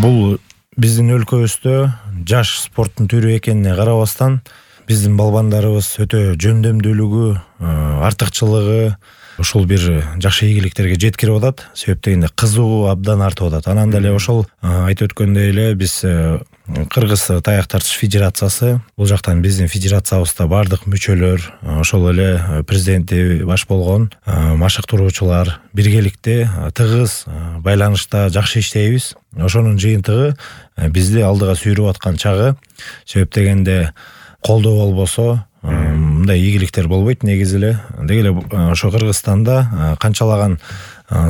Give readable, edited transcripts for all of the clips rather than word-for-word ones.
Бул биздин өлкөбүздө жаш спорттун түрү экенине карабастан биздин балбандарыбыз өтө жөндөмдүүлүгү, артыкчылыгы ушул бир жакшы ийгиликтерге жеткирип атат. Себеп дегенде кызыгуу абдан артып атат. Анан деле ошол айтып өткөндөй эле биз Кыргыз таяк тартыш федерациясы, бул жактан биздин федерациябызда бардык мүчөлөр, ошол эле президенти баш болгон машыктыруучулар биргеликте тыгыз байланышта жакшы иштейбиз. Ошонун жыйынтыгы бизди алдыга сүйрүп аткан чагы. Себеп дегенде колдоо болбосо мындай ийгиликтер болбойт негизи эле. Деги эле ошо Кыргызстанда канчалаган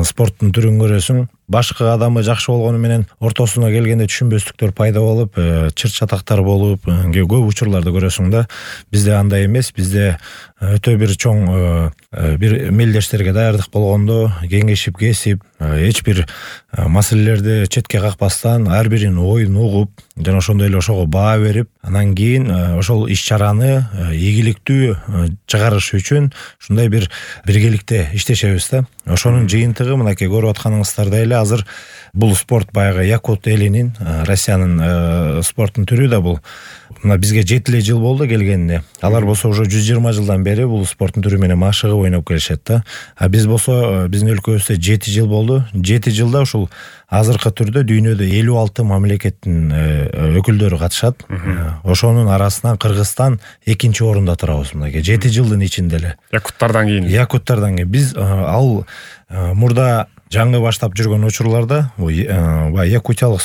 спорттун түрүн көрөсүң, башкы адамы жакшы болгону менен ортосуна келгенде түшүнбөстүктөр пайда болуп, чыр чатактар болуп, көп учурларды көрөсүң да. Бизде андай эмес. Бизде өтө бир чоң бир мелдештерге даярдык болгондо кеңешип кесип, эч бир маселелерди четке какпастан ар биринин оюн угуп, жана ошондой эле ошого баа берип, анан кийин ошол иш-чараны ийгиликтүү чыгарыш үчүн ушундай бир биргеликте иштешебиз да. Ошонун жыйынтыгы мынакей көрүп атканыңыздардай эле азыр бул спорт баягы якут элинин, Россиянын спорттун түрү да бул. Мына бизге 7 эле жыл болду келгенине. Алар болсо уже 120 жылдан бери бул спорттун түрү менен машыгып ойноп келишет да. А биз болсо биздин өлкөбүздө 7 жыл болду. 7 жылда ушул азыркы түрдө дүйнөдө 56 мамлекеттин өкүлдөрү катышат. Ошонун арасынан Кыргызстан 2-нчи орунда турабыз мынакей 7 жылдын ичинде эле. Якуттардан кийин. Биз ал мурда жаңы баштап жүргөн учурларда якутиялык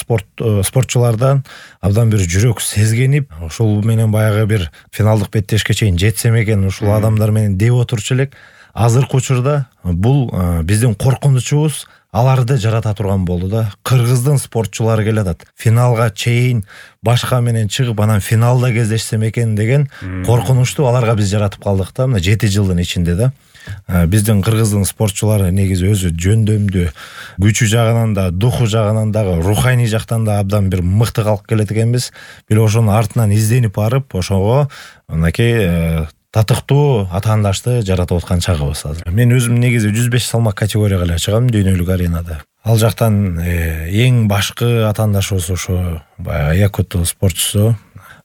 спортчулардан абдан бир жүрөк сезгенип, ошол менен баягы бир финалдык беттешке чейин жетсем экен ушул адамдар менен деп отурчу элек. Азыркы учурда бул биздин коркунучубуз аларды жарата турган болду да. Кыргыздын спортчулары келатат. Финалга чейин башка менен чыгып, анан финалда кездешсем экен деген коркунучту аларга биз жаратып калдык да, мына 7 жылдын ичинде да. Биздин кыргыздын спортчулары негизи өзү жөндөмдүү, күчү жагынан да, духу жагынан дагы, руханий жактан да абдан бир мыкты калк келет экенбиз. Бир ошонун артынан изденип барып, ошого мынакей татыктуу атаандашты жаратып аткан чагыбыз азыр. Мен өзүм негизи 105 салмак категорияга эле чыгам дүйнөлүк аренада. Ал жактан эң башкы атаандашыбыз ошо баягы якут спортчусу.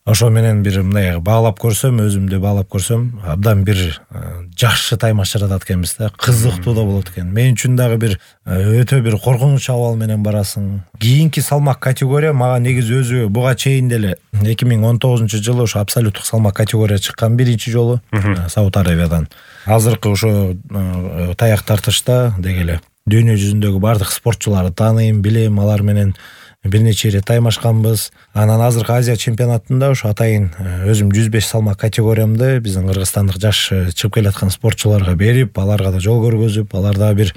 Ошо менен бир мындай баалап көрсөм, өзүмдү баалап көрсөм, абдан бир жакшы таймаш жаратат экенбиз да, кызыктуу да болот экен. Мен үчүн дагы бир өтө бир коркунуч абал менен барасың. Кийинки салмак категория мага негизи өзү буга чейин деле 2019-жылы ошо абсолюттук салмак категория чыккан биринчи жолу Сауд Арабиядан. Азыркы ошо таяк тартышта деги эле дүйнө жүзүндөгү бардык спортчуларды тааныйм, билем, алар менен бир нече ирет таймашканбыз. Анан азыркы Азия чемпионатында ошо атайын өзүм 105 салмак категориямды биздин кыргызстандык жаш чыгып келаткан спортчуларга берип, аларга да жол көргөзүп, аларда бир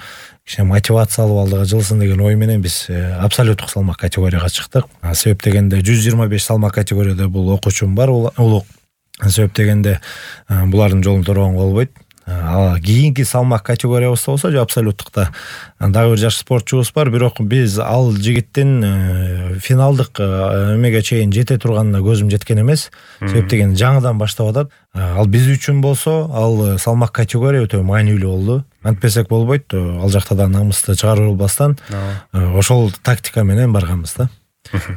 кичине мотивация алып алдыга жылсын деген ой менен биз абсолюттук салмак категорияга чыктык. Себеп дегенде 125 салмак категорияда бул окуучум бар, улук. Себеп дегенде булардын жолун торгонго болбойт. Кийинки салмак категориябыз болсо абсолюттукта дагы бир жаш спортчубуз бар, бирок биз ал жигиттин финалдык эмеге чейин жете турганына көзүм жеткен эмес. Себеп деген жаңыдан баштап атат. Ал биз үчүн болсо ал салмак категория өтө маанилүү болду. Антпесек болбойт. Ал жакта да намысты чыгарып албастан ошол тактика менен барганбыз да.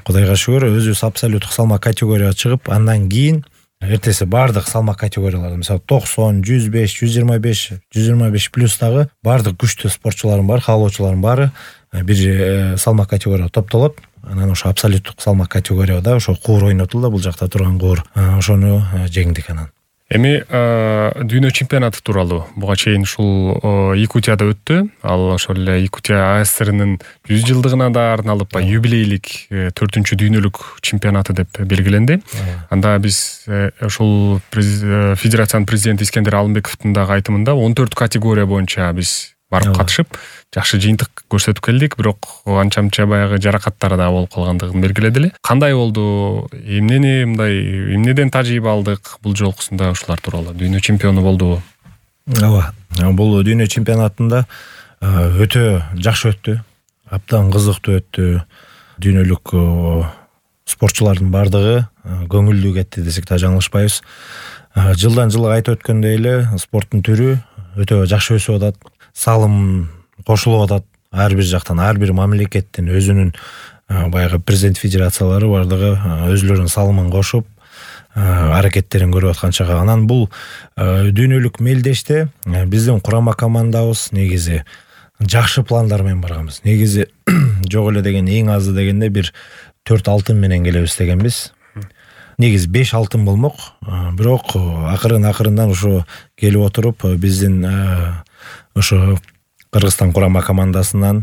Кудайга шүгүр, өзүбүз абсолюттук салмак категорияга чыгып, андан кийин эртеси бардык салмак категорияларды, мисалы 90, 105, 125, 125 плюс дагы бардык күчтүү спортчуларым бар, каалоочуларым баары бир салмак категорияга топтолот. Анан ошо абсолюттук салмак категорияда ошо куур ойнотулду, бул жакта турган куур. Ошону жеңдик анан. Эми дүйнө чемпионаты тууралуу буга чейин ушул Якутияда өттү. Ал ошол эле Якутия АСРнын 100 жылдыгына да арналып юбилейлик 4-чү дүйнөлүк чемпионаты деп белгиленди. Анда биз ошол федерациянын президенти Искендер Алымбековдун дагы айтымында 14 категория боюнча биз барып катышып, жакшы жыйынтык көрсөтүп келдик, бирок анча-мынча баягы жаракаттар да болуп калгандыгын белгиледи эле. Кандай болду? Эмнеден тажрыйба алдык бул жолкусунда ушулар тууралуу? Дүйнө чемпиону болдубу? Ооба. Бул дүйнө чемпионатында өтө жакшы өттү. Абдан кызыктуу өттү. Дүйнөлүк спортчулардын бардыгы көңүлдүү кетти десек да жаңылышпайбыз. Жылдан жылга айтып өткөндөй эле спорттун түрү өтө жакшы өсүп атат. Салым кошулуп атат. Ар бир жактан, ар бир мамлекеттин өзүнүн баягы президент федерациялары бардыгы өзлөрүнүн салымын кошуп аракеттерин көрүп аткан чагы. Анан бул дүйнөлүк мелдеште биздин курама командабыз негизи жакшы пландар менен барганбыз. Негизи жок эле деген эң азы дегенде бир 4 алтын менен келебиз дегенбиз. Негизи 5 алтын болмок. Бирок акырындан ошо келип отуруп биздин ошо Кыргызстан курама командасынан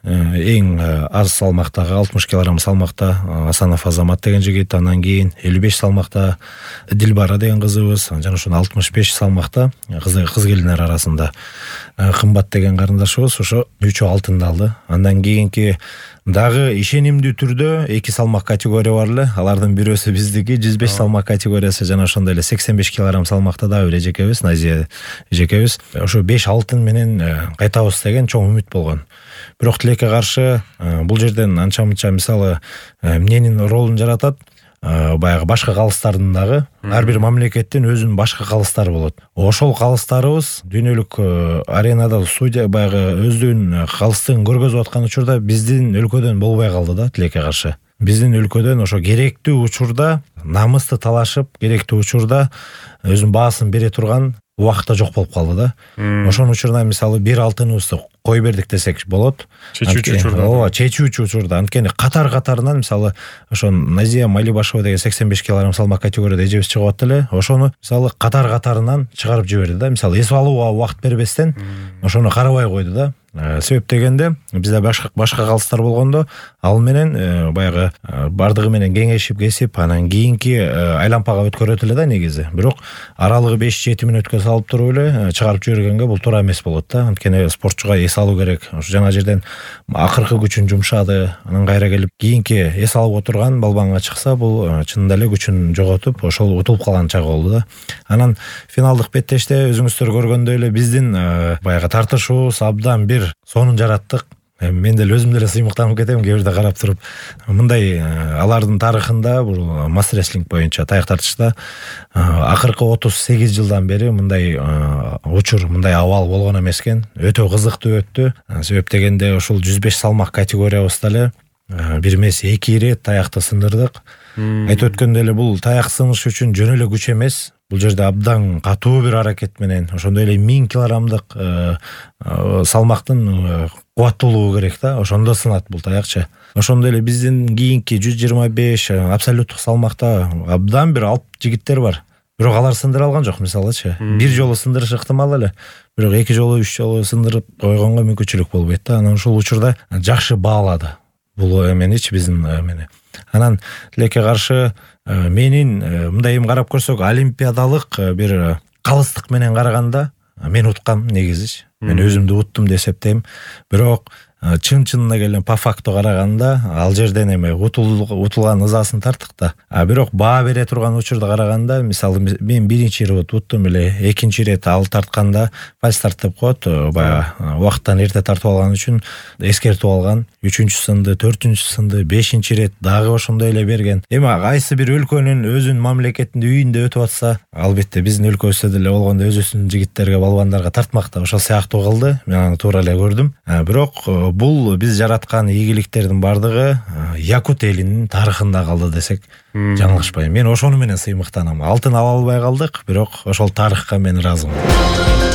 эң аз салмактагы 60 кг салмакта Асанов Азамат деген жигит, андан кийин 55 салмакта Дилбара деген кызыбыз, жана ошо 65 салмакта кыз келиндер арасында Кымбат деген карындашыбыз ошо 3 алтынды алды. Андан кийинки дагы ишенимдүү түрдө 2 салмак категория бар эле. Алардын бирөөсү биздики 105 салмак категориясы, жана ошондой эле 85 кг салмакта дагы бир эжекебиз, Назия эжекебиз. Ошо 5 алтын менен кайтабыз деген чоң үмүт болгон. Бирок тилекке каршы бул жерден анча-мынча мисалы эмненин ролун жаратат. Баягы башка калыстардын дагы ар бир мамлекеттин өзүнүн башка калыстары болот. Ошол калыстарыбыз дүйнөлүк аренада судья баягы өздүгүнүн калыстыгын көргөзүп аткан учурда биздин өлкөдөн болбой калды да, тилекке каршы. Биздин өлкөдөн ошо керектүү учурда намысты талашып, керектүү учурда өзүнүн баасын бере турган убакытта жок болуп калды да. Ошонун учурунда мисалы 1 алтыныбызды кой бердик десек болот. Чечүүчү учурда. Ооба, чечүүчү учурда. Анткени катар-катарынан мисалы ошо Назия Малибашева деген 85 кг салмак категорияда эжебиз чыгып атты эле. Ошону мисалы катар-катарынан чыгарып жиберди да. Мисалы эс алууга убакыт бербестен ошону карабай койду да. Себеп дегенде бизде башка калыстар болгондо ал менен баягы бардыгы менен кеңешип кесип, анан кийинки айлампага өткөрөт эле да негизи. Бирок аралыгы 5-7 мүнөткө салып туруп эле чыгарып жибергенге бул туура эмес болот да. Анткени спортчуга эс алуу керек. Ошо жана жерден акыркы күчүн жумшады, анан кайра келип кийинки эс алып отурган балбанга чыкса, бул чынында эле күчүн жоготуп, ошол утулуп калган чагы болду да. Анан финалдык беттеште өзүңүздөр көргөндөй эле биздин баягы тартышуубуз абдан бир сонун жараттык. Мен деле өзүм деле сыймыктанып кетем кээ бирде карап туруп. Мындай алардын тарыхында бул мастер рестлинг боюнча таяк тартышта акыркы 38 жылдан бери мындай учур, мындай абал болгон эмес экен. Өтө кызыктуу өттү. Себеп дегенде ушул 105 салмак категориябызда эле бир эмес 2 ирет таякты сындырдык. Айтып өткөндөй эле бул таяк сыныш үчүн жөн эле күч эмес. Бул жерде абдан катуу бир аракет менен ошондой эле 1000 килограммдык салмактын кубаттуулугу керек да. Ошондо сынат бул таякчы. Ошондой эле биздин кийинки 125 абсолюттук салмакта абдан бир алып жигиттер бар. Бирок алар сындыра алган жок, мисалычы. Бир жолу сындырыш ыктымал эле. Бирок 2 жолу, 3 жолу сындырып койгонго мүмкүнчүлүк болбойт да. Анан ушул учурда жакшы баалады бул эменичи биздин эмени. Анан тилекке каршы менин мындай эми карап көрсөк, олимпиадалык бир калыстык менен караганда мен уткам негизичи. Мен өзүмдү уттум деп эсептейм. Бирок чын-чынына келген по факту караганда ал жерден эми утулган ызасын тарттык да. Бирок баа бере турган учурда караганда, мисалы мен биринчи ирет уттум эле, экинчи ирет ал тартканда фальстарт деп коет, баягы убакыттан эрте тартып алган үчүн эскертип алган. 3-сынды, 4-сынды, 5-ирет дагы ошондой эле берген. Эми кайсы бир өлкөнүн өзүнүн мамлекетинде үйүндө өтүп атса, албетте биздин өлкөбүздө деле болгондо өзүнүн жигиттерге, балбандарга тартмакта ошол сыяктуу кылды. Мен аны туура эле көрдүм. Бирок бул биз жараткан ийгиликтердин бардыгы Якут элинин тарыхында калды десек жаңылышпайм. Мен ошону менен сыймыктанам. Алтын ала албай калдык, бирок ошол тарыхка мен ыраазымын.